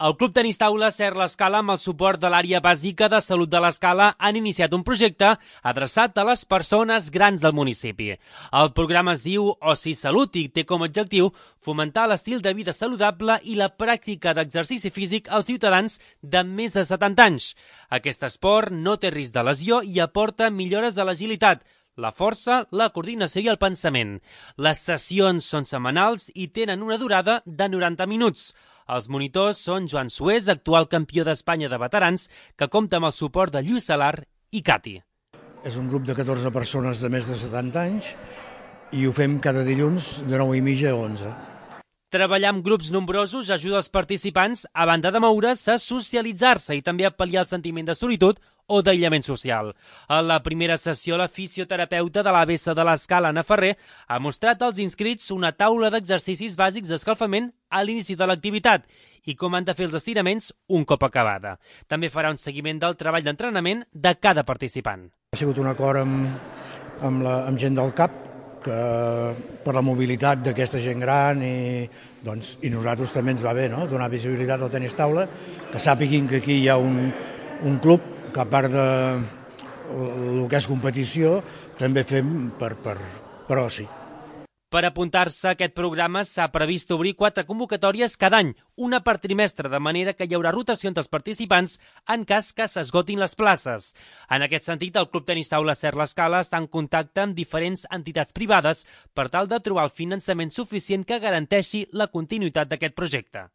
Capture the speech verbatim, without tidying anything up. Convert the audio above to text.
El Club Tenis Taula Ser l'Escala, amb el suport de l'àrea bàsica de salut de l'Escala, han iniciat un projecte adreçat a les persones grans del municipi. El programa es diu Oci Salut i té com a objectiu fomentar l'estil de vida saludable i la pràctica d'exercici físic als ciutadans de més de setanta anys. Aquest esport no té risc de lesió i aporta millores de l'agilitat, la força, la coordinació i el pensament. Les sessions són setmanals i tenen una durada de noranta minuts. Els monitors són Joan Sués, actual campió d'Espanya de veterans, que compta amb el suport de Lluís Salar i Cati. És un grup de catorze persones de més de setanta anys i ho fem cada dilluns de nou i mitja a onze. Treballar amb grups nombrosos ajuda els participants, a banda de moure's, a socialitzar-se i també a pal·liar el sentiment de solitud o d'aïllament social. A la primera sessió, la fisioterapeuta de l'A B C de l'Escala, Anna Ferrer, ha mostrat als inscrits una taula d'exercicis bàsics d'escalfament a l'inici de l'activitat i com han de fer els estiraments un cop acabada. També farà un seguiment del treball d'entrenament de cada participant. Ha sigut un acord amb, amb, la, amb gent del C A P, que per la mobilitat d'aquesta gent gran i, doncs, i nosaltres també ens va bé, no?, donar visibilitat al tenis taula, que sàpiguin que aquí hi ha un, un club que a part de el que és competició també fem per, per, per oci. Per apuntar-se a aquest programa s'ha previst obrir quatre convocatòries cada any, una per trimestre, de manera que hi haurà rotació entre els participants en cas que s'esgotin les places. En aquest sentit, el Club Tenis Taula Ser l'Escala està en contacte amb diferents entitats privades per tal de trobar el finançament suficient que garanteixi la continuïtat d'aquest projecte.